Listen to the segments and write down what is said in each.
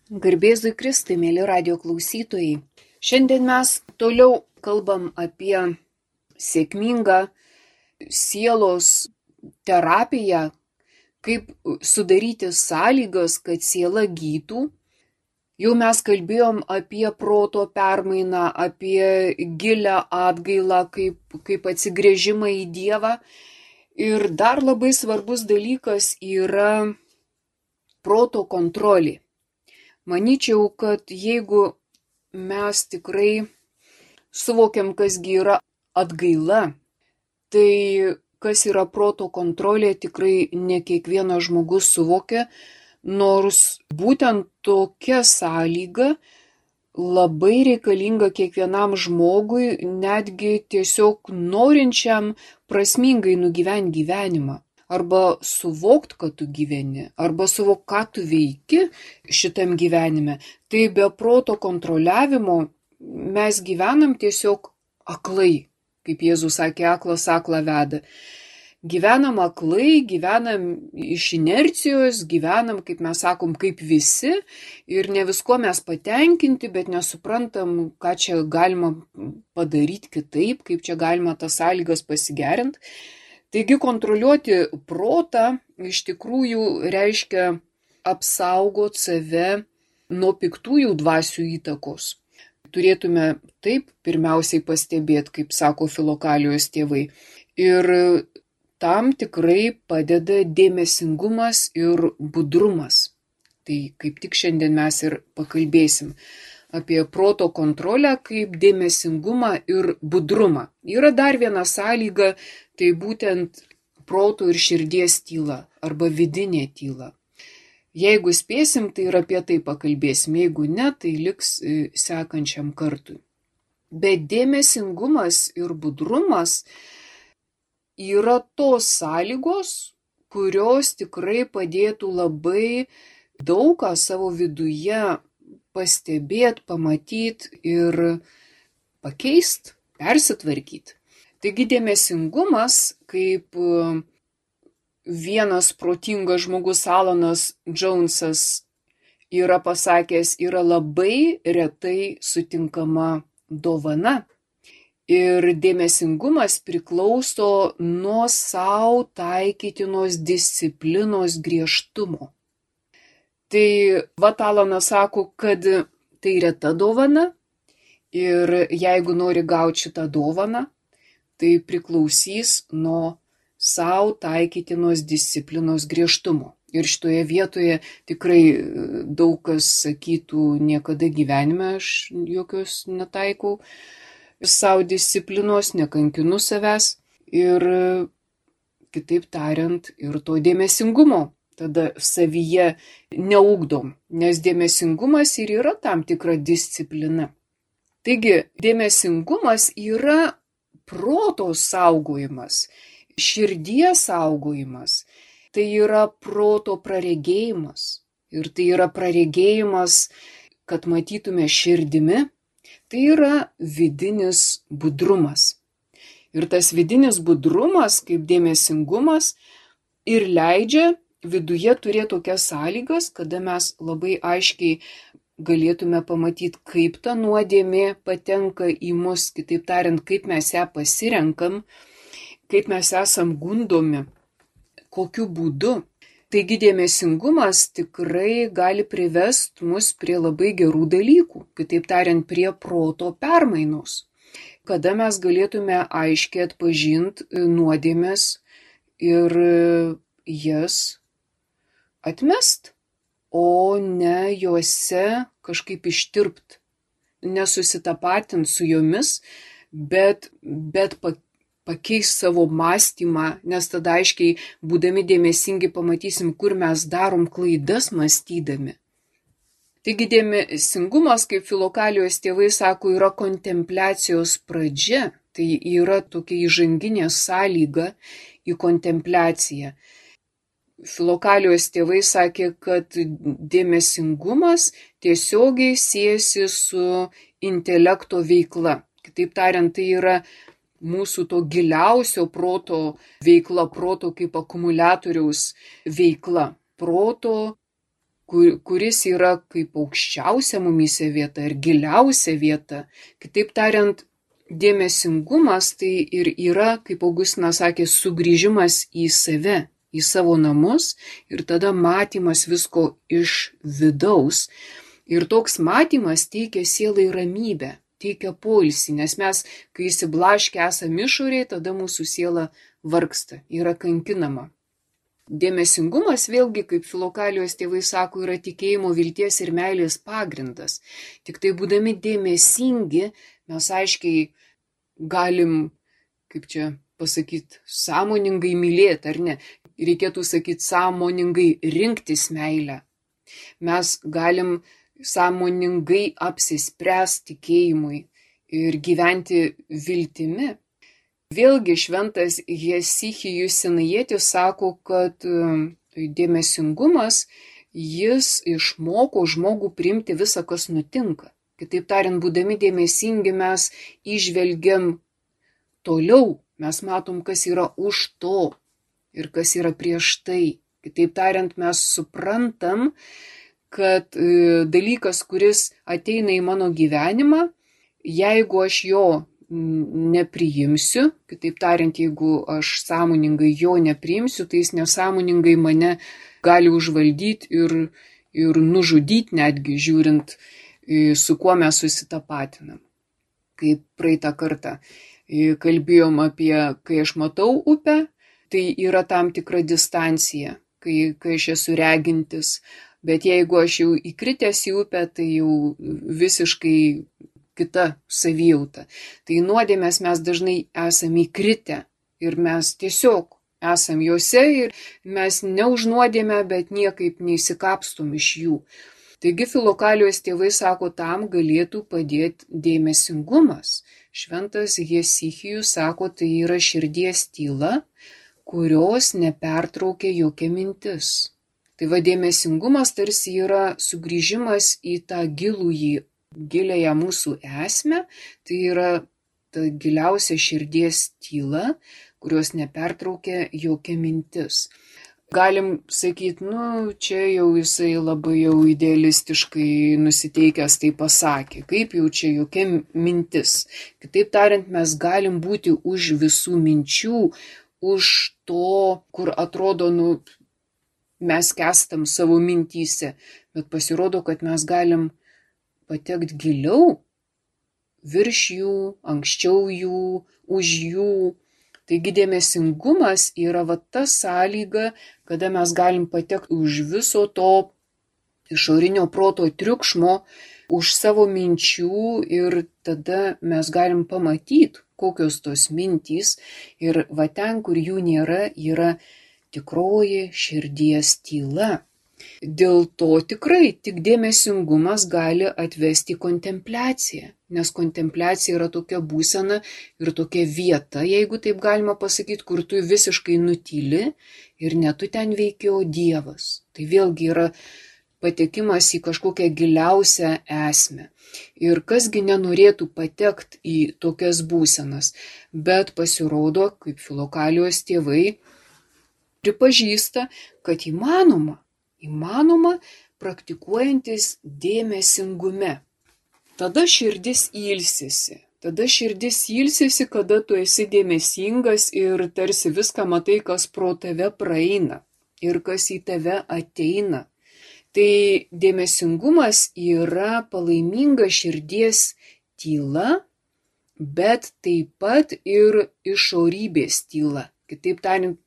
Garbėzui Kristui, mėly radio klausytojai. Šiandien mes toliau kalbam apie sėkmingą sielos terapiją, kaip sudaryti sąlygas, kad siela gytų. Jau mes kalbėjom apie proto permainą, apie gilią atgailą, kaip atsigręžimą į Dievą. Ir dar labai svarbus dalykas yra proto kontrolė. Manyčiau, kad jeigu mes tikrai suvokiam, kasgi yra atgaila, tai kas yra proto kontrolė, tikrai ne kiekvienas žmogus suvokia, nors būtent tokia sąlyga labai reikalinga kiekvienam žmogui, netgi tiesiog norinčiam prasmingai nugyventi gyvenimą. Arba suvokt, kad tu gyveni, arba suvokt, ką tu veiki šitam gyvenime. Tai be proto kontroliavimo mes gyvenam tiesiog aklai, kaip Jėzus sakė, aklas aklą veda. Gyvenam aklai, gyvenam iš inercijos, gyvenam, kaip mes sakom, kaip visi ir ne visko mes patenkinti, bet nesuprantam, ką čia galima padaryti kitaip, kaip čia galima tas sąlygas pasigerinti. Taigi kontroliuoti protą iš tikrųjų reiškia apsaugot save nuo piktųjų dvasių įtakos. Turėtume taip pirmiausiai pastebėti, kaip sako Filokalijos tėvai. Ir tam tikrai padeda dėmesingumas ir budrumas. Tai kaip tik šiandien mes ir pakalbėsim apie proto kontrolę kaip dėmesingumą ir budrumą. Yra dar viena sąlyga, tai būtent proto ir širdies tyla arba vidinė tyla. Jeigu spėsim, tai ir apie tai pakalbėsim, jeigu ne, tai liks sekančiam kartui. Bet dėmesingumas ir budrumas yra tos sąlygos, kurios tikrai padėtų labai daug ką savo viduje pastebėti, pamatyti ir pakeisti, persitvarkyti. Taigi dėmesingumas, kaip vienas protingas žmogus Alanas Džounsas yra pasakęs, yra labai retai sutinkama dovana. Ir dėmesingumas priklauso nuo sau taikytinos disciplinos griežtumo. Tai Alanas sako, kad tai reta dovana ir jeigu nori gauti šitą dovaną, tai priklausys nuo sau taikytinos disciplinos griežtumo. Ir šitoje vietoje tikrai daug kas sakytų, niekada gyvenime aš jokios netaikau sau disciplinos, nekankinu savęs ir, kitaip tariant, ir to dėmesingumo tada savyje neugdom, nes dėmesingumas ir yra tam tikra disciplina. Taigi, dėmesingumas yra proto saugojimas, širdies saugojimas, tai yra proto praregėjimas. Ir tai yra praregėjimas, kad matytume širdimi, tai yra vidinis budrumas. Ir tas vidinis budrumas, kaip dėmesingumas, ir leidžia viduje turėti tokias sąlygas, kada mes labai aiškiai galėtume pamatyti, kaip ta nuodėmė patenka į mus, kitaip tariant, kaip mes ją pasirenkam, kaip mes esam gundomi, kokiu būdu. Taigi dėmesingumas tikrai gali privesti mus prie labai gerų dalykų, kitaip tariant, prie proto permainos, kada mes galėtume aiškiai atpažinti nuodėmes ir jas atmest, o ne juose kažkaip ištirpt, nesusitapatint su jomis, bet pakeis savo mąstymą, nes tada aiškiai, būdami dėmesingi, pamatysim, kur mes darom klaidas mąstydami. Taigi dėmesingumas, kaip Filokalijos tėvai sako, yra kontempliacijos pradžia, tai yra tokia įžanginė sąlyga į kontempliaciją. Filokalijos tėvai sakė, kad dėmesingumas tiesiogiai siejasi su intelekto veikla. Kitaip tariant, tai yra mūsų to giliausio proto veikla, proto kaip akumuliatoriaus veikla, proto kuris yra kaip aukščiausia mumyse vieta ir giliausia vieta. Kitaip tariant, dėmesingumas tai ir yra, kaip Augustinas sakė, sugrįžimas į save, į savo namus ir tada matymas visko iš vidaus. Ir toks matymas teikia sielai ramybę, teikia poilsį, nes mes, kai įsiblaškę esame išorėje, tada mūsų siela vargsta, yra kankinama. Dėmesingumas vėlgi, kaip Filokalijos tėvai sako, yra tikėjimo, vilties ir meilės pagrindas. Tik tai būdami dėmesingi, mes aiškiai galim, kaip čia pasakyti, sąmoningai mylėti, ar ne? Reikėtų sakyti, sąmoningai rinktis meilę. Mes galim sąmoningai apsispręsti tikėjimui ir gyventi viltimi. Vėlgi šventas Hesichijus Sinajietis sako, kad dėmesingumas, jis išmoko žmogų priimti visą, kas nutinka. Kitaip tariant, būdami dėmesingi mes įžvelgiam toliau, mes matom, kas yra už to ir kas yra prieš tai. Kitaip tariant, mes suprantam, kad dalykas, kuris ateina į mano gyvenimą, jeigu aš jo nepriimsiu, kitaip tariant, jeigu aš sąmoningai jo nepriimsiu, tai jis nesąmoningai mane gali užvaldyti ir nužudyti netgi, žiūrint, su kuo mes susitapatinam. Kaip praeitą kartą kalbėjom apie, kai aš matau upę, tai yra tam tikra distancija, kai aš esu regintis, bet jeigu aš jau įkritęs į upę, tai jau visiškai kita savijauta. Tai nuodėmės mes dažnai esame įkritę ir mes tiesiog esam juose ir mes neužnuodėme, bet niekaip neįsikapstum iš jų. Taigi Filokalijos tėvai sako, tam galėtų padėti dėmesingumas. Šventas Hesichijus sako, tai yra širdies tyla, kurios nepertraukia jokia mintis. Tai dėmesingumas tarsi yra sugrįžimas į tą giliąją mūsų esmę, tai yra ta giliausia širdies tyla, kurios nepertraukia jokia mintis. Galim sakyti, čia jau jisai labai jau idealistiškai nusiteikęs tai pasakė, kaip jau čia jokia mintis. Kitaip tariant, mes galim būti už visų minčių, už to, kur atrodo, mes kestam savo mintyse, bet pasirodo, kad mes galim patekti giliau, virš jų, anksčiau jų, už jų. Taigi dėmesingumas yra ta sąlyga, kada mes galim patekti už viso to išorinio proto triukšmo, už savo minčių ir tada mes galim pamatyti, kokios tos mintys ir ten, kur jų nėra, yra tikroji širdies tyla. Dėl to tikrai tik dėmesingumas gali atvesti kontempliaciją, nes kontempliacija yra tokia būsena ir tokia vieta, jeigu taip galima pasakyti, kur tu visiškai nutyli ir ne tu ten veiki, o Dievas. Tai vėlgi yra patekimas į kažkokią giliausią esmę. Ir kasgi nenorėtų patekti į tokias būsenas, bet pasirodo, kaip Filokalijos tėvai pripažįsta, kad įmanoma praktikuojantis dėmesingume. Tada širdis ilsisi, kada tu esi dėmesingas ir tarsi viską matai, kas pro tave praeina ir kas į tave ateina. Tai dėmesingumas yra palaiminga širdies tyla, bet taip pat ir išorybės tyla. Kitaip tariant,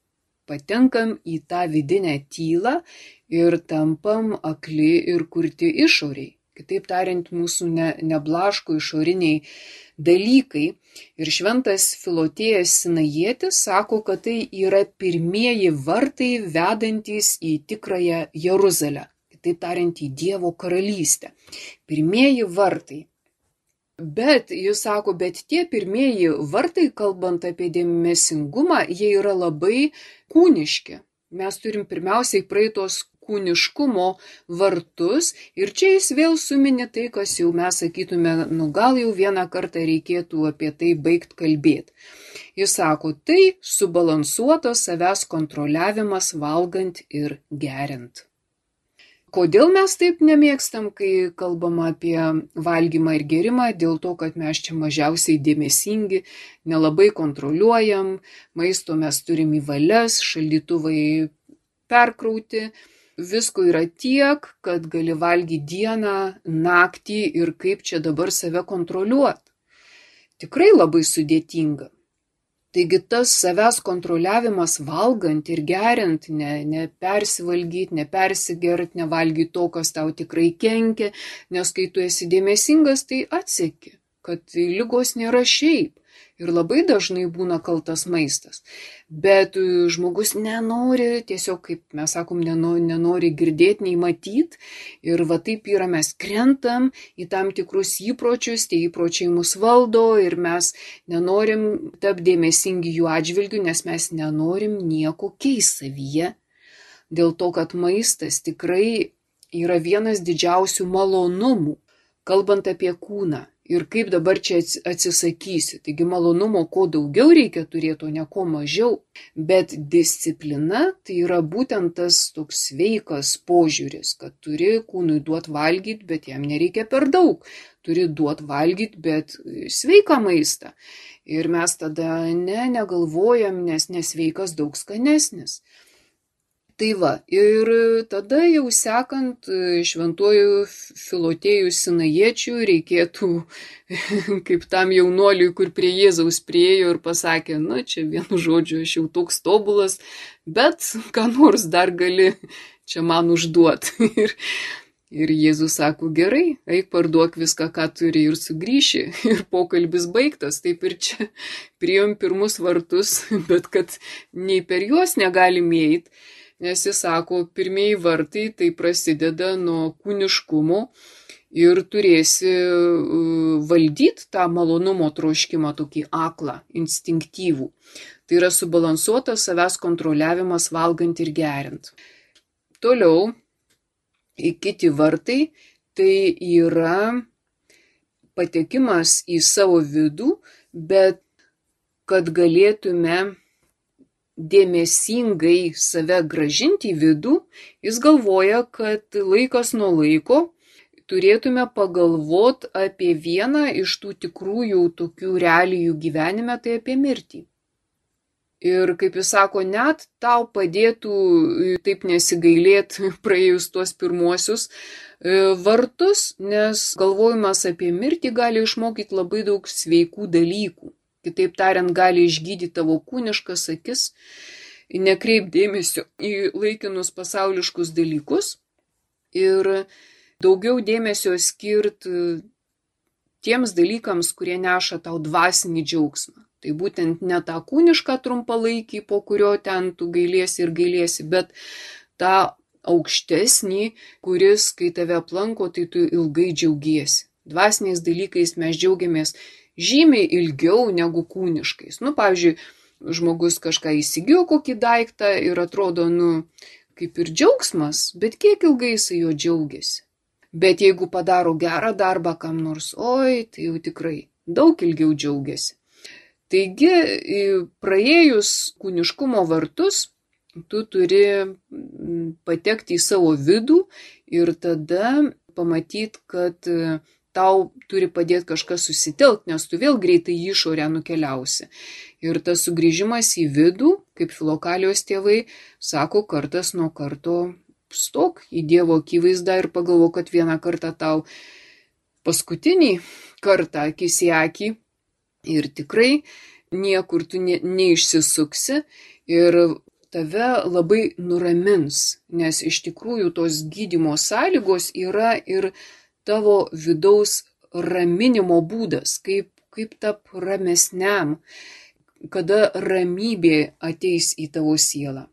patenkam į tą vidinę tylą ir tampam akli ir kurti išoriai. Kitaip tariant, mūsų neblaško išoriniai dalykai. Ir šventas Filotėjas Sinajietis sako, kad tai yra pirmieji vartai vedantys į tikrąją Jeruzalę. Kitaip tariant, į Dievo karalystę. Pirmieji vartai. Bet jis sako, bet tie pirmieji vartai, kalbant apie dėmesingumą, jie yra labai kūniški. Mes turim pirmiausiai praeitos kūniškumo vartus ir čia jis vėl suminė tai, kas jau mes sakytume, gal jau vieną kartą reikėtų apie tai baigt kalbėti. Jis sako, tai subalansuotas savęs kontroliavimas valgant ir geriant. Kodėl mes taip nemėgstam, kai kalbama apie valgymą ir gerimą? Dėl to, kad mes čia mažiausiai dėmesingi, nelabai kontroliuojam, maisto mes turim į valias, šaldytuvai perkrauti. Visko yra tiek, kad gali valgyti dieną, naktį ir kaip čia dabar save kontroliuoti. Tikrai labai sudėtinga. Taigi tas savęs kontroliavimas valgant ir geriant, nepersivalgyti, nepersigert, nevalgyti to, kas tau tikrai kenkia, nes kai tu esi dėmesingas, tai atseki, kad ligos nėra šiaip. Ir labai dažnai būna kaltas maistas. Bet žmogus nenori, tiesiog, kaip mes sakom, nenori girdėti, nei matyti. Ir va taip yra, mes krentam į tam tikrus įpročius, tie įpročiai mus valdo ir mes nenorim tapti dėmesingi jų atžvilgių, nes mes nenorim nieko keisti savyje. Dėl to, kad maistas tikrai yra vienas didžiausių malonumų, kalbant apie kūną. Ir kaip dabar čia atsisakysi. Taigi malonumo kuo daugiau reikia turėti, o ne kuo mažiau. Bet disciplina tai yra būtent tas toks sveikas požiūris, kad turi kūnui duoti valgyti, bet jam nereikia per daug. Turi duoti valgyti, bet sveiką maistą. Ir mes tada negalvojam, nes nesveikas daug skanesnis. Tai va, ir tada jau sekant šventuoju Filotėjų Sinajiečiu reikėtų, kaip tam jaunuoliui, kur prie Jėzaus priėjo ir pasakė, na čia vienu žodžiu, aš jau toks tobulas, bet ką nors dar gali čia man užduoti. Ir Jėzus sako, gerai, eik parduok viską, ką turi ir sugrįši. Ir pokalbis baigtas, taip ir čia priėjom pirmus vartus, bet kad nei per juos negalim eiti. Nes jis sako, pirmieji vartai tai prasideda nuo kūniškumo ir turėsi valdyti tą malonumo troškimą, tokį aklą, instinktyvų. Tai yra subalansuotas savęs kontroliavimas valgant ir geriant. Toliau, kiti vartai tai yra patekimas į savo vidų, bet kad galėtume dėmesingai save gražinti į vidų, jis galvoja, kad laikas nuo laiko turėtume pagalvoti apie vieną iš tų tikrųjų tokių realijų gyvenime, tai apie mirtį. Ir kaip jis sako, net tau padėtų taip nesigailėti praėjus tuos pirmuosius vartus, nes galvojimas apie mirtį gali išmokyti labai daug sveikų dalykų. Kitaip tariant, gali išgydyti tavo kūniškas akis, nekreip dėmesio į laikinus pasauliškus dalykus ir daugiau dėmesio skirti tiems dalykams, kurie neša tau dvasinį džiaugsmą. Tai būtent ne tą kūnišką trumpalaikį, po kurio ten tu gailiesi, bet tą aukštesnį, kuris, kai tave aplanko, tai tu ilgai džiaugiesi. Dvasiniais dalykais mes džiaugiamės žymiai ilgiau negu kūniškais. Pavyzdžiui, žmogus kažką įsigijo kokį daiktą ir atrodo, kaip ir džiaugsmas, bet kiek ilgai jisai jo džiaugiasi. Bet jeigu padaro gerą darbą kam nors, tai jau tikrai daug ilgiau džiaugiasi. Taigi, praėjus kūniškumo vartus, tu turi patekti į savo vidų ir tada pamatyti, kad tau turi padėti kažkas susitelkti, nes tu vėl greitai į išorę nukeliausi. Ir tas sugrįžimas į vidų, kaip Filokalijos tėvai, sako, kartas nuo karto stok į Dievo akivaizdą ir pagalvo, kad vieną kartą tau paskutinį kartą akis į akį ir tikrai niekur tu neišsisuksi ir tave labai nuramins, nes iš tikrųjų tos gydymo sąlygos yra ir tavo vidaus raminimo būdas, kaip tap ramesniam, kada ramybė ateis į tavo sielą.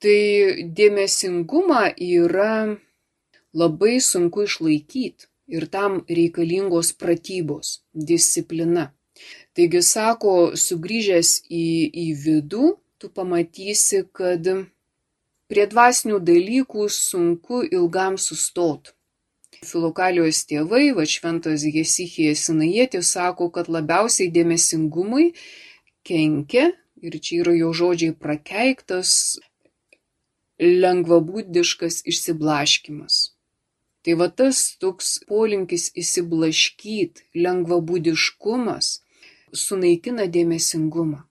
Tai dėmesingumą yra labai sunku išlaikyti ir tam reikalingos pratybos, disciplina. Taigi sako, sugrįžęs į vidų, tu pamatysi, kad prie dvasinių dalykų sunku ilgam sustoti. Filokalijos tėvai, šventas Hesichijas Sinajietis, sako, kad labiausiai dėmesingumui kenkia, ir čia yra jo žodžiai prakeiktas, lengvabūdiškas išsiblaškymas. Tai va tas toks polinkis įsiblaškyt, lengvabūdiškumas sunaikina dėmesingumą.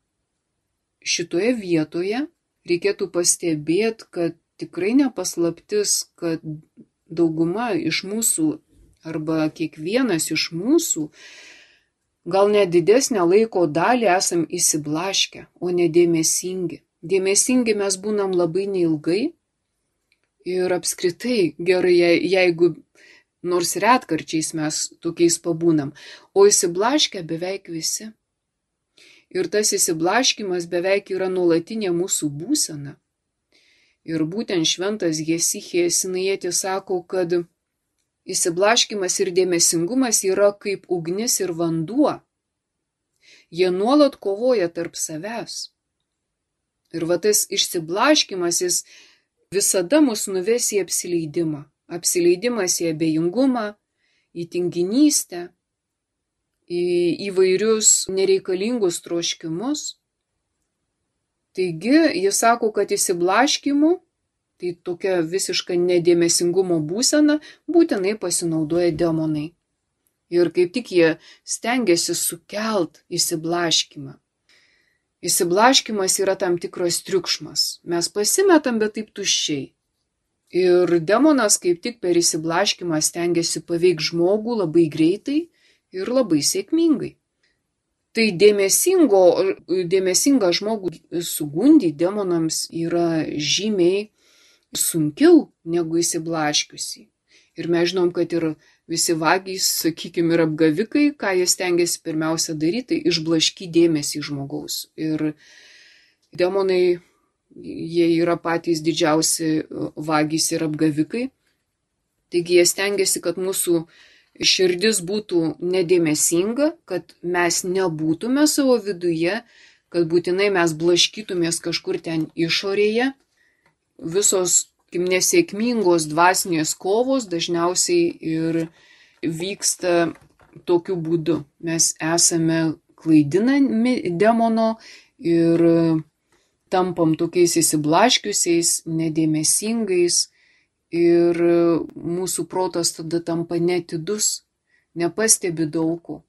Šitoje vietoje reikėtų pastebėti, kad tikrai nepaslaptis, kad dauguma iš mūsų arba kiekvienas iš mūsų gal net didesnę laiko dalį esam įsiblaškę, o ne dėmesingi. Dėmesingi mes būnam labai neilgai ir apskritai gerai, jeigu nors retkarčiais mes tokiais pabūnam, o įsiblaškę beveik visi. Ir tas įsiblaškymas beveik yra nuolatinė mūsų būsena. Ir būtent šventas Hesichijas Sinajietis sako, kad įsiblaškymas ir dėmesingumas yra kaip ugnis ir vanduo. Jie nuolat kovoja tarp savęs. Ir va tas išsiblaškymas jis visada mus nuves į apsileidimą. Apsileidimas į abejingumą, į tinginystę, į įvairius nereikalingus troškimus. Taigi, jis sako, kad įsiblaškymu, tai tokia visiška nedėmesingumo būsena, būtinai pasinaudoja demonai. Ir kaip tik jie stengiasi sukelt įsiblaškymą. Įsiblaškymas yra tam tikras triukšmas. Mes pasimetam, bet taip tuščiai. Ir demonas kaip tik per įsiblaškymą stengiasi paveikti žmogų labai greitai ir labai sėkmingai. Tai dėmesingą žmogų sugundyti demonams yra žymiai sunkiau negu įsiblaškiusi. Ir mes žinom, kad ir visi vagys, sakykime, ir apgavikai, ką jie stengiasi pirmiausia daryti, tai išblaškyti dėmesį žmogaus. Ir demonai, jie yra patys didžiausi vagys ir apgavikai. Taigi jie stengiasi, kad mūsų širdis būtų nedėmesinga, kad mes nebūtume savo viduje, kad būtinai mes blaškytumės kažkur ten išorėje. Visos nesėkmingos dvasinės kovos dažniausiai ir vyksta tokiu būdu. Mes esame klaidinami demono ir tampam tokiais įsiblaškiusiais, nedėmesingais. Ir mūsų protas tada tampa netidus, nepastebi daug ko.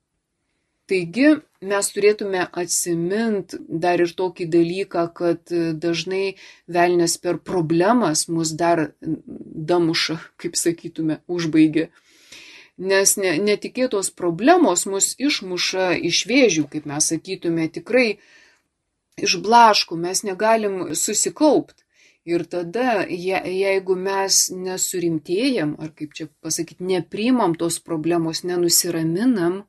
Taigi mes turėtume atsiminti dar ir tokį dalyką, kad dažnai velnias per problemas mus dar damuša, kaip sakytume, užbaigia. Nes netikėtos problemos mus išmuša iš vėžių, kaip mes sakytume, tikrai išblaško, mes negalim susikaupti. Ir tada, jeigu mes nesurimtėjam, ar kaip čia pasakyti, nepriimam tos problemos, nenusiraminam,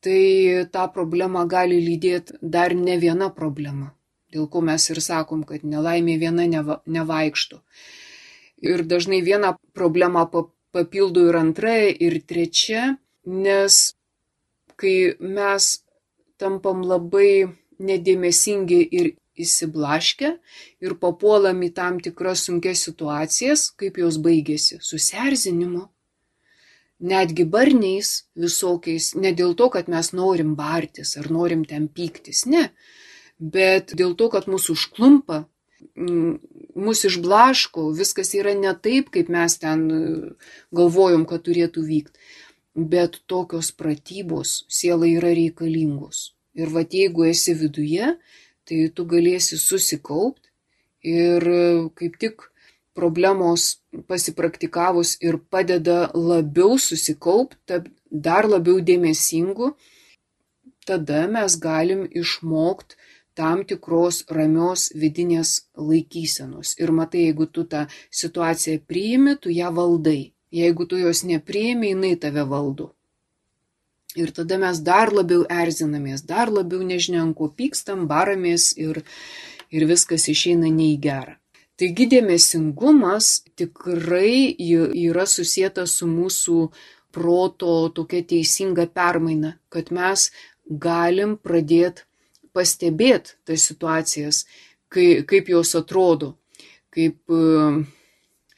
tai tą problemą gali lydėti dar ne viena problema. Dėl ko mes ir sakom, kad nelaimė viena nevaikšto. Ir dažnai vieną problemą papildo ir antra, ir trečia, nes kai mes tampam labai nedėmesingi ir įsiblaškę ir papuolam į tam tikras sunkias situacijas, kaip jos baigėsi, susierzinimu, netgi barniais visokiais, ne dėl to, kad mes norim bartis ar norim ten pyktis, ne, bet dėl to, kad mūsų užklumpa, mūsų išblaško, viskas yra ne taip, kaip mes ten galvojom, kad turėtų vykti, bet tokios pratybos sielai yra reikalingos. Ir vat jeigu esi viduje, tai tu galėsi susikaupti ir kaip tik problemos pasipraktikavus ir padeda labiau susikaupti, dar labiau dėmesingu, tada mes galim išmokti tam tikros ramios vidinės laikysenos. Ir matai, jeigu tu tą situaciją priimi, tu ją valdai. Jeigu tu jos nepriimi, jinai tave valdo. Ir tada mes dar labiau erzinamės, dar labiau nežinom, ko pykstam, baramės ir viskas išeina ne į gerą. Taigi dėmesingumas tikrai yra susietas su mūsų proto tokia teisinga permaina, kad mes galim pradėti pastebėti tas situacijas, kaip jos atrodo, kaip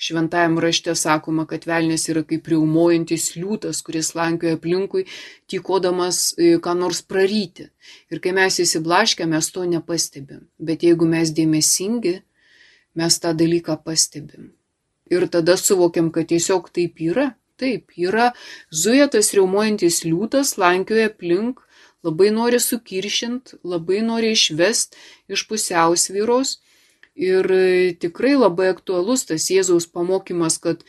Šventajam rašte sakoma, kad velnias yra kaip riaumojantis liūtas, kuris lankioja aplinkui, tykodamas ką nors praryti. Ir kai mes įsiblaškę, mes to nepastebim. Bet jeigu mes dėmesingi, mes tą dalyką pastebim. Ir tada suvokiam, kad tiesiog taip yra. Taip, yra zuja tas riaumojantis liūtas, lankioja aplink, labai nori sukiršint, labai nori išvest iš pusiausvyros. Ir tikrai labai aktualus tas Jėzaus pamokymas, kad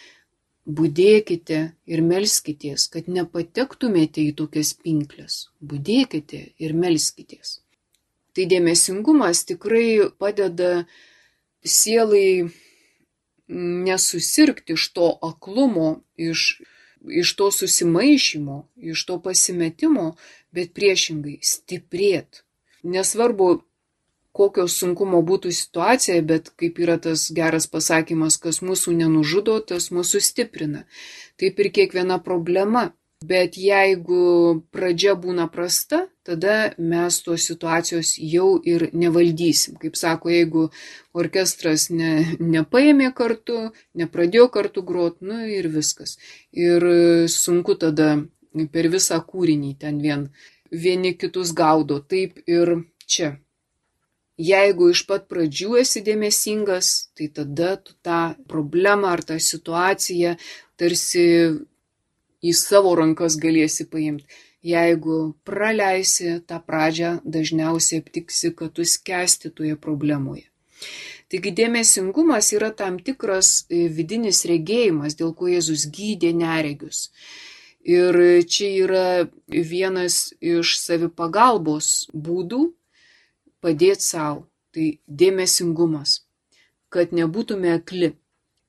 budėkite ir melskitės, kad nepatektumėte į tokias pinklės. Budėkite ir melskitės. Tai dėmesingumas tikrai padeda sielai nesusirgti iš to aklumo, iš to susimaišymo, iš to pasimetimo, bet priešingai stiprėt. Nesvarbu, kokio sunkumo būtų situacija, bet kaip yra tas geras pasakymas, kas mūsų nenužudo, tas mūsų stiprina. Taip ir kiekviena problema. Bet jeigu pradžia būna prasta, tada mes tos situacijos jau ir nevaldysim. Kaip sako, jeigu orkestras nepaėmė kartu, nepradėjo kartu grot, ir viskas. Ir sunku tada per visą kūrinį ten vieni kitus gaudo. Taip ir čia. Jeigu iš pat pradžių esi dėmesingas, tai tada tu tą problemą ar tą situaciją tarsi į savo rankas galėsi paimti. Jeigu praleisi tą pradžią, dažniausiai aptiksi, kad tu skęsti toje problemoje. Taigi dėmesingumas yra tam tikras vidinis regėjimas, dėl ko Jėzus gydė neregius. Ir čia yra vienas iš savipagalbos būdų padėti savo. Tai dėmesingumas, kad nebūtume akli.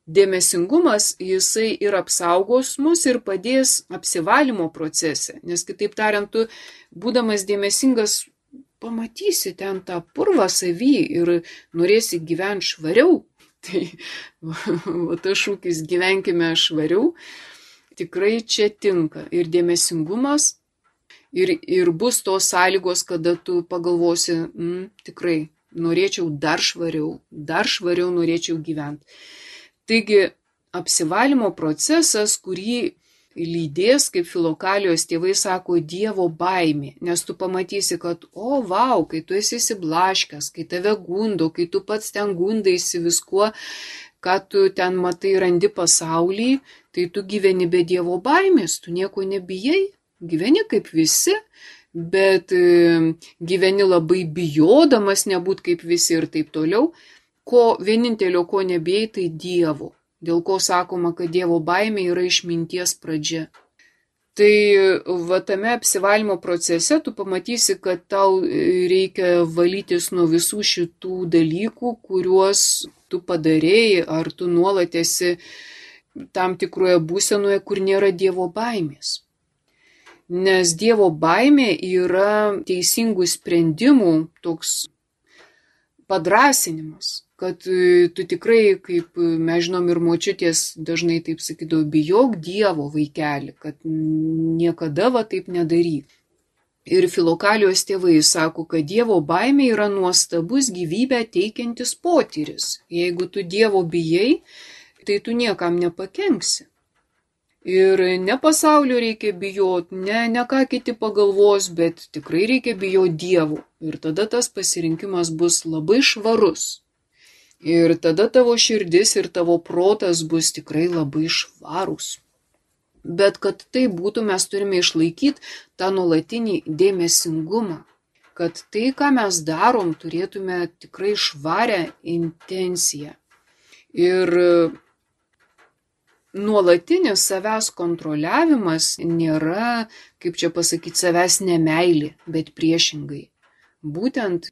Dėmesingumas, jisai ir apsaugos mus ir padės apsivalymo procese, nes kitaip tariant, tu būdamas dėmesingas pamatysi ten tą purvą savy ir norėsi gyventi švariau. Tai tas šūkis gyvenkime švariau, tikrai čia tinka ir dėmesingumas ir bus tos sąlygos, kada tu pagalvosi, tikrai norėčiau dar švariau norėčiau gyventi. Taigi apsivalymo procesas, kurį lydės, kaip Filokalijos tėvai sako, Dievo baimė, nes tu pamatysi, kad kai tu esi įsiblaškęs, kai tave gundo, kai tu pats ten gundaisi viskuo, ką tu ten matai randi pasaulį, tai tu gyveni be Dievo baimės, tu nieko nebijai, gyveni kaip visi, bet gyveni labai bijodamas nebūt kaip visi ir taip toliau. Vienintelio, ko nebijai, tai Dievo. Dėl ko sakoma, kad Dievo baimė yra išminties pradžia. Tai tame apsivalymo procese tu pamatysi, kad tau reikia valytis nuo visų šitų dalykų, kuriuos tu padarėjai, ar tu nuolat esi tam tikroje būsenoje, kur nėra Dievo baimės. Nes Dievo baimė yra teisingų sprendimų toks padrasinimas. Kad tu tikrai, kaip mes žinom ir močiutės dažnai taip sakydavo, bijok Dievo vaikeli, kad niekada taip nedaryk. Ir Filokalijos tėvai sako, kad Dievo baimė yra nuostabus gyvybę teikiantis potyris. Jeigu tu Dievo bijai, tai tu niekam nepakenksi. Ir ne pasaulio reikia bijoti, ne ką kiti pagalvos, bet tikrai reikia bijoti Dievo. Ir tada tas pasirinkimas bus labai švarus. Ir tada tavo širdis ir tavo protas bus tikrai labai švarūs. Bet kad tai būtų, mes turime išlaikyti tą nuolatinį dėmesingumą. Kad tai, ką mes darom, turėtume tikrai švarę intenciją. Ir nuolatinis savęs kontroliavimas nėra, kaip čia pasakyti, savęs nemeilė, bet priešingai. Būtent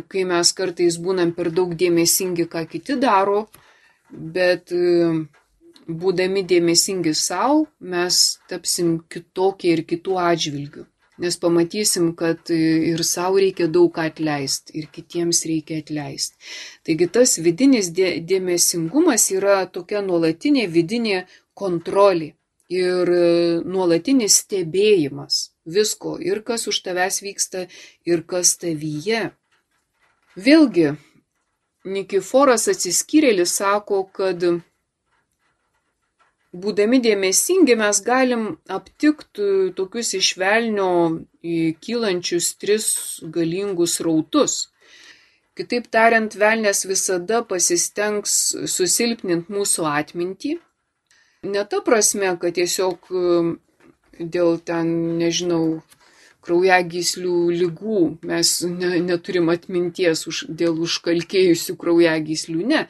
kai mes kartais būnam per daug dėmesingi, ką kiti daro, bet būdami dėmesingi savo, mes tapsim kitokie ir kitų atžvilgių. Nes pamatysim, kad ir savo reikia daug ką atleisti, ir kitiems reikia atleisti. Taigi tas vidinis dėmesingumas yra tokia nuolatinė vidinė kontrolė ir nuolatinis stebėjimas visko, ir kas už tavęs vyksta, ir kas tavyje. Vėlgi, Nikiforas Atsiskyrėlis sako, kad būdami dėmesingi mes galim aptikti tokius iš velnio kylančius 3 galingus srautus. Kitaip tariant, velnias visada pasistengs susilpninti mūsų atmintį. Ne ta prasme, kad tiesiog dėl ten, nežinau, kraujagyslių ligų mes neturim atminties dėl užkalkėjusių kraujagyslių, ne.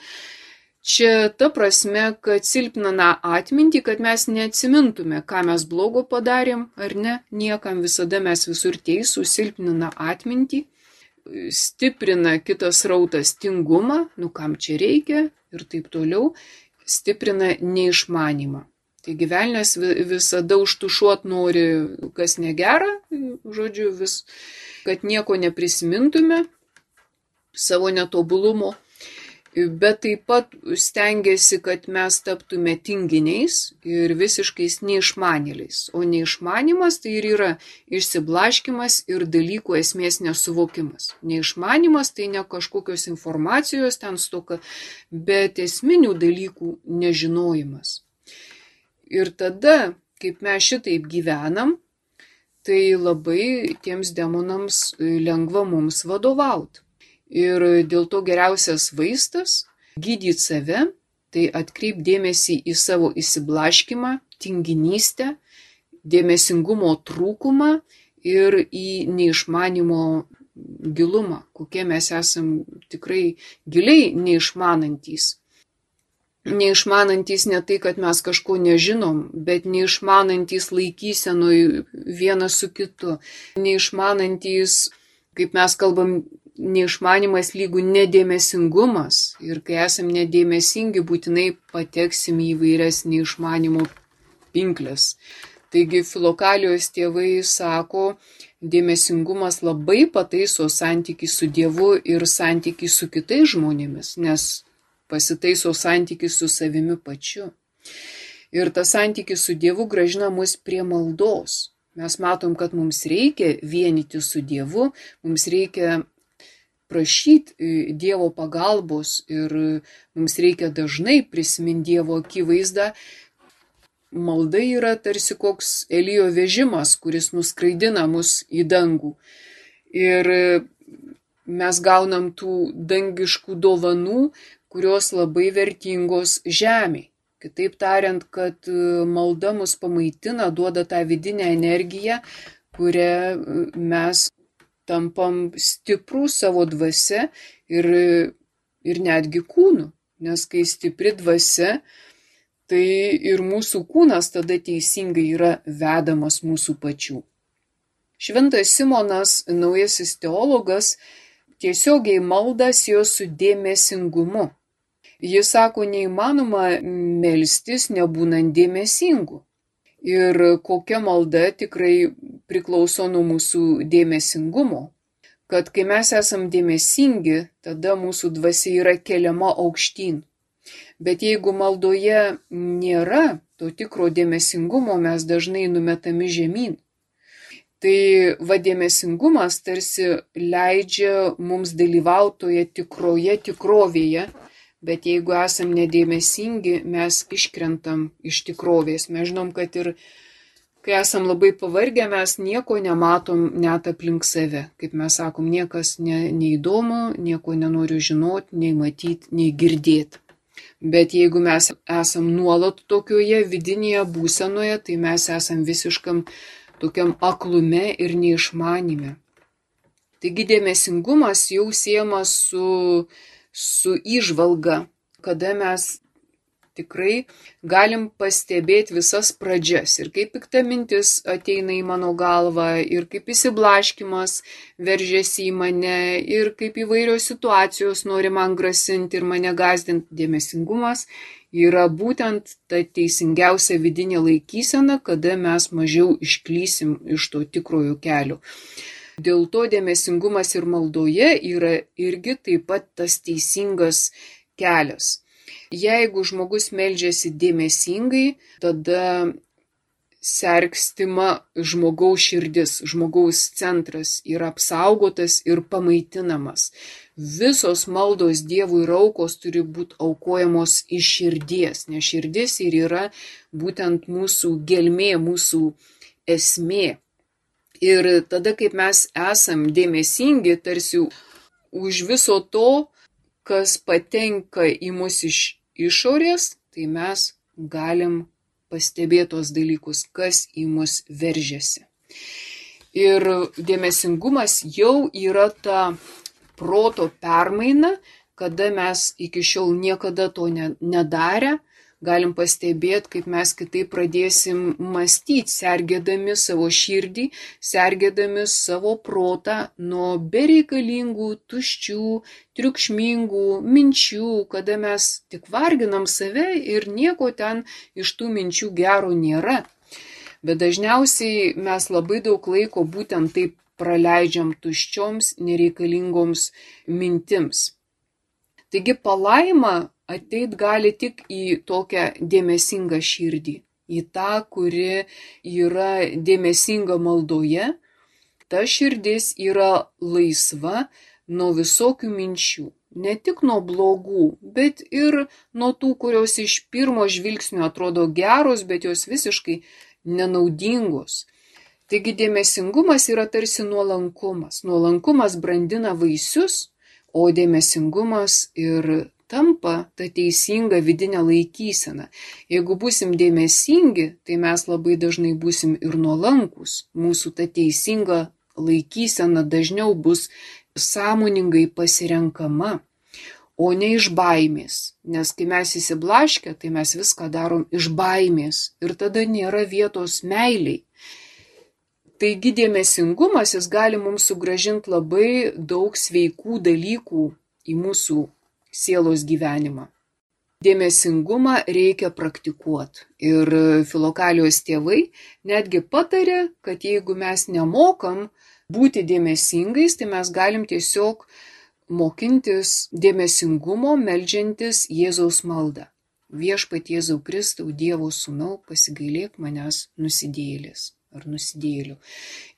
Čia ta prasme, kad silpnina atmintį, kad mes neatsimintume, ką mes blogo padarėm ar ne, niekam visada mes visur teisūs, silpnina atmintį, stiprina kitas rautas tingumą, kam čia reikia ir taip toliau, stiprina neišmanymą. Taigi velnias visada užtušuot nori, kas negera, žodžiu, kad nieko neprisimintume savo netobulumo, bet taip pat stengiasi, kad mes taptume tinginiais ir visiškais neišmanėliais. O neišmanimas tai ir yra išsiblaškimas ir dalykų esmės nesuvokimas. Neišmanimas tai ne kažkokios informacijos ten stoka, bet esminių dalykų nežinojimas. Ir tada, kaip mes šitaip gyvenam, tai labai tiems demonams lengva mums vadovauti. Ir dėl to geriausias vaistas – gydyti save, tai atkreip dėmesį į savo įsiblaškimą, tinginystę, dėmesingumo trūkumą ir į neišmanimo gilumą, kokie mes esam tikrai giliai neišmanantys. Neišmanantys ne tai, kad mes kažko nežinom, bet neišmanantys laikysenoj vienas su kitu. Neišmanantys, kaip mes kalbam, neišmanimas lygų nedėmesingumas. Ir kai esam nedėmesingi, būtinai pateksim į įvairias neišmanimo pinkles. Taigi Filokalijos tėvai sako, dėmesingumas labai pataiso santykį su Dievu ir santykį su kitais žmonėmis, nes pasitaiso santykis su savimi pačiu. Ir tas santykis su Dievu grąžina mus prie maldos. Mes matom, kad mums reikia vienyti su Dievu, mums reikia prašyti Dievo pagalbos ir mums reikia dažnai prisiminti Dievo akivaizdą. Malda yra tarsi koks Elijo vežimas, kuris nuskraidina mus į dangų. Ir mes gaunam tų dangiškų dovanų, kurios labai vertingos žemėj. Kitaip tariant, kad malda mus pamaitina, duoda tą vidinę energiją, kurią mes tampam stiprų savo dvasia ir netgi kūnu. Nes kai stipri dvasia, tai ir mūsų kūnas tada teisingai yra vedamas mūsų pačių. Šventas Simonas, naujasis teologas, tiesiogiai maldą siejo su dėmesingumu. Jis sako, neįmanoma melstis nebūnant dėmesingu. Ir kokia malda tikrai priklauso nuo mūsų dėmesingumo. Kad kai mes esam dėmesingi, tada mūsų dvasia yra keliama aukštyn. Bet jeigu maldoje nėra to tikro dėmesingumo, mes dažnai numetami žemyn. Tai dėmesingumas tarsi leidžia mums dalyvauti toje tikroje tikrovėje, bet jeigu esam nedėmesingi, mes iškrentam iš tikrovės. Mes žinom, kad ir kai esam labai pavargę, mes nieko nematom net aplink save. Kaip mes sakom, niekas neįdomu, nieko nenoriu žinoti, nei matyti, nei girdėti. Bet jeigu mes esam nuolat tokioje vidinėje būsenoje, tai mes esam visiškam tokiam aklume ir neišmanime. Taigi dėmesingumas jau siejamas su įžvalga, kada mes tikrai galim pastebėti visas pradžias ir kaip pikta mintis ateina į mano galvą ir kaip įsiblaškimas veržiasi į mane ir kaip įvairios situacijos nori man grasinti ir mane gąsdinti. Dėmesingumas yra būtent ta teisingiausia vidinė laikysena, kada mes mažiau išklysim iš to tikrojo kelio. Dėl to dėmesingumas ir maldoje yra irgi taip pat tas teisingas kelias. Jeigu žmogus meldžiasi dėmesingai, tada sergstima žmogaus širdis, žmogaus centras yra apsaugotas ir pamaitinamas. Visos maldos Dievui ir aukos turi būti aukojamos iš širdies, nes širdis ir yra būtent mūsų gelmė, mūsų esmė. Ir tada, kaip mes esam dėmesingi, tarsi už viso to, kas patenka į mus iš išorės, tai mes galim pastebėti tos dalykus, kas į mus veržiasi. Ir dėmesingumas jau yra ta proto permaina, kada mes iki šiol niekada to nedarę, galim pastebėti, kaip mes kitaip pradėsim mąstyti, sergėdami savo širdį, sergėdami savo protą nuo bereikalingų, tuščių, triukšmingų minčių, kada mes tik varginam save ir nieko ten iš tų minčių gero nėra. Bet dažniausiai mes labai daug laiko būtent taip praleidžiam tuščioms, nereikalingoms mintims. Taigi palaima ateit gali tik į tokią dėmesingą širdį, į tą, kuri yra dėmesinga maldoje. Ta širdis yra laisva nuo visokių minčių, ne tik nuo blogų, bet ir nuo tų, kurios iš pirmo žvilgsnio atrodo geros, bet jos visiškai nenaudingos. Taigi dėmesingumas yra tarsi nuolankumas. Nuolankumas brandina vaisius, o dėmesingumas ir tampa ta teisinga vidinė laikysena. Jeigu būsim dėmesingi, tai mes labai dažnai būsim ir nuolankus. Mūsų ta teisinga laikysena dažniau bus sąmoningai pasirenkama, o ne iš baimės. Nes kai mes įsiblaškę, tai mes viską darom iš baimės ir tada nėra vietos meiliai. Taigi dėmesingumas jis gali mums sugrąžinti labai daug sveikų dalykų į mūsų sielos gyvenimą. Dėmesingumą reikia praktikuoti. Ir Filokalijos tėvai netgi patarė, kad jeigu mes nemokam būti dėmesingais, tai mes galim tiesiog mokintis dėmesingumo, meldžiantis Jėzaus maldą. Viešpatie Jėzau Kristau, Dievo sūnau, pasigailėk manęs nusidėjėlis ar nusidėjėlių.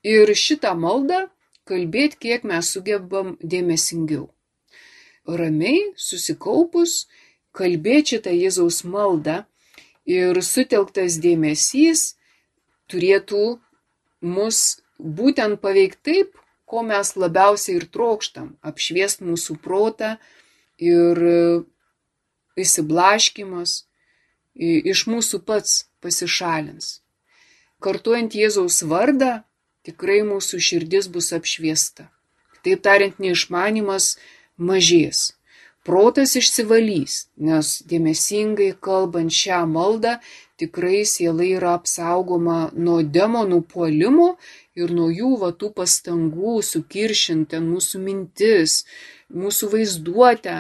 Ir šitą maldą kalbėti, kiek mes sugebam dėmesingiau. Ramiai, susikaupus, kalbėti šitą Jėzaus maldą ir sutelktas dėmesys turėtų mus būtent paveikti taip, ko mes labiausiai ir trokštam, apšviest mūsų protą ir išsiblaškymas iš mūsų pats pasišalins. Kartuojant Jėzaus vardą, tikrai mūsų širdis bus apšviesta. Taip tariant, neišmanimas mažės. Protas išsivalys, nes dėmesingai kalbant šią maldą, tikrai siela yra apsaugoma nuo demonų puolimo ir nuo jų tų pastangų sukiršinti mūsų mintis, mūsų vaizduotę.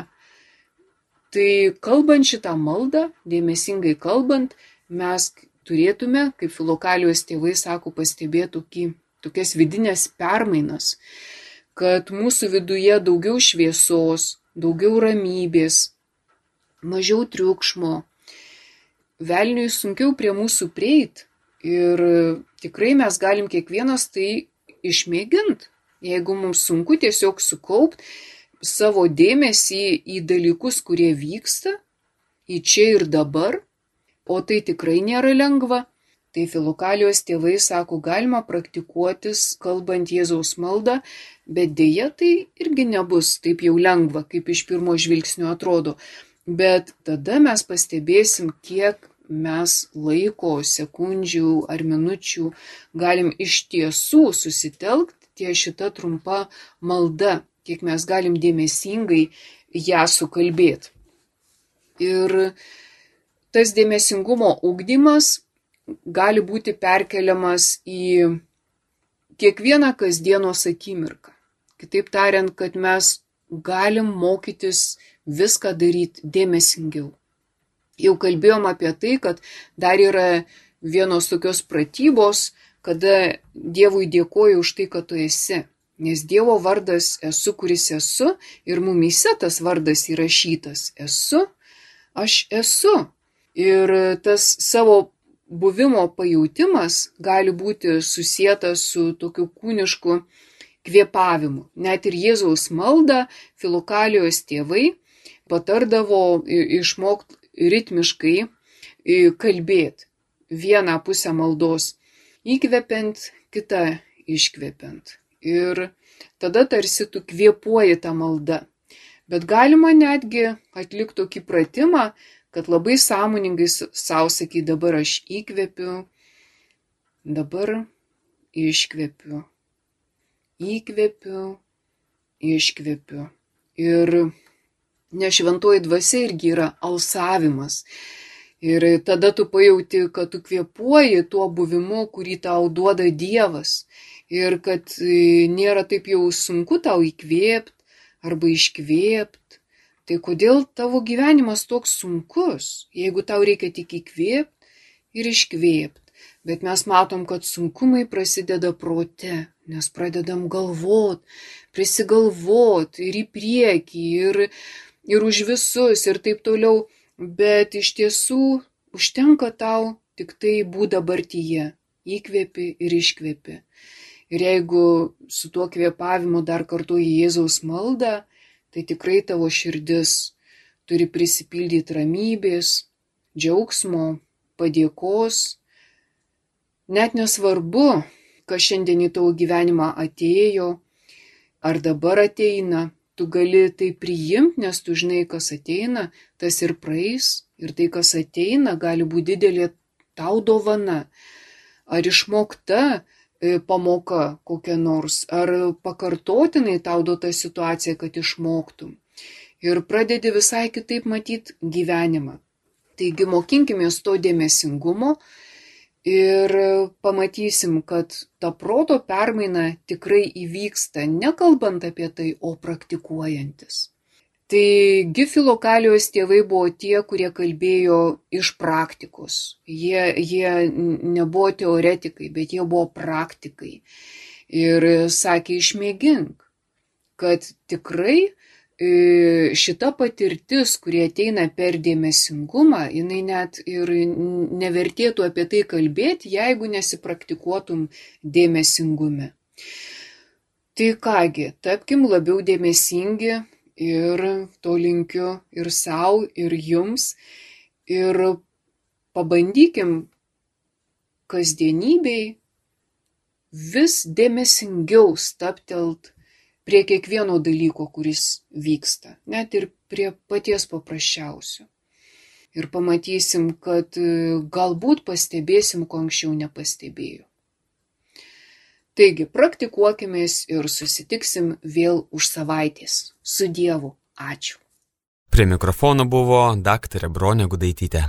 Tai kalbant šitą maldą, dėmesingai kalbant, mes turėtume, kaip Filokalijos tėvai sako, pastebėti tokias vidinės permainas, kad mūsų viduje daugiau šviesos, daugiau ramybės, mažiau triukšmo. Velniui sunkiau prie mūsų prieit ir tikrai mes galim kiekvienas tai išmėginti. Jeigu mums sunku tiesiog sukaupti savo dėmesį į dalykus, kurie vyksta, į čia ir dabar, o tai tikrai nėra lengva, tai Filokalijos tėvai sako, galima praktikuotis, kalbant Jėzaus maldą, bet dėja tai irgi nebus taip jau lengva, kaip iš pirmo žvilgsnio atrodo. Bet tada mes pastebėsim, kiek mes laiko, sekundžių ar minučių galim iš tiesų susitelkti ties šita trumpa malda, kiek mes galim dėmesingai ją sukalbėti. Ir tas dėmesingumo ugdymas gali būti perkeliamas į kiekvieną kasdienos akimirką. Kitaip tariant, kad mes galim mokytis viską daryti dėmesingiau. Jau kalbėjom apie tai, kad dar yra vienos tokios pratybos, kada Dievui dėkoju už tai, kad tu esi. Nes Dievo vardas esu, kuris esu, ir mumyse tas vardas įrašytas. Esu, aš esu. Ir tas savo buvimo pajautimas gali būti susietas su tokiu kūnišku kvėpavimu. Net ir Jėzaus maldą Filokalijos tėvai patardavo išmokti ritmiškai kalbėti. Vieną pusę maldos įkvepiant, kitą iškvepiant. ir tada tarsi tu kvėpuoji tą maldą. Bet galima netgi atlikti tokį pratimą, kad labai sąmoningai savo sakyt, dabar aš įkvepiu, dabar iškvepiu, įkvepiu, iškvepiu. Ir nešventoji dvasia irgi yra alsavimas. Ir tada tu pajauti, kad tu kvėpuoji tuo buvimu, kurį tau duoda Dievas. Ir kad nėra taip jau sunku tau įkvėpti arba iškvėpti. Tai kodėl tavo gyvenimas toks sunkus, jeigu tau reikia tik įkvėpti ir iškvėpti. Bet mes matom, kad sunkumai prasideda prote, nes pradedam galvot, prisigalvot ir į priekį, ir už visus, ir taip toliau. Bet iš tiesų užtenka tau tik tai būt dabartyje, įkvėpi ir iškvėpi. Ir jeigu su tuo kvėpavimu dar kartuoji Jėzaus maldą, tai tikrai tavo širdis turi prisipildyti ramybės, džiaugsmo, padėkos. Net nesvarbu, kas šiandien į tavo gyvenimą atėjo, ar dabar ateina, tu gali tai priimti, nes tu žinai, kas ateina, tas ir praeis, ir tai, kas ateina, gali būti didelė tau dovana. Ar išmokta pamoka kokia nors, ar pakartotinai tau duota situacija, kad išmoktum. Ir pradedi visai kitaip matyti gyvenimą. Taigi mokinkimės to dėmesingumo ir pamatysim, kad ta proto permaina tikrai įvyksta, nekalbant apie tai, o praktikuojantis. Taigi Filokalijos tėvai buvo tie, kurie kalbėjo iš praktikos. Jie nebuvo teoretikai, bet jie buvo praktikai. Ir sakė, išmėgink, kad tikrai šita patirtis, kurie ateina per dėmesingumą, jinai net ir nevertėtų apie tai kalbėti, jeigu nesipraktikuotum dėmesingume. Tai kągi, tapkim labiau dėmesingi ir to linkiu ir sau, ir jums. Ir pabandykim kasdienybėj vis dėmesingiau stabtelt prie kiekvieno dalyko, kuris vyksta, net ir prie paties paprasčiausio. Ir pamatysim, kad galbūt pastebėsim, ko anksčiau nepastebėjau. Taigi, praktikuokimės ir susitiksim vėl už savaitės. Su Dievu. Ačiū. Prie mikrofono buvo daktarė Bronė Gudaitytė.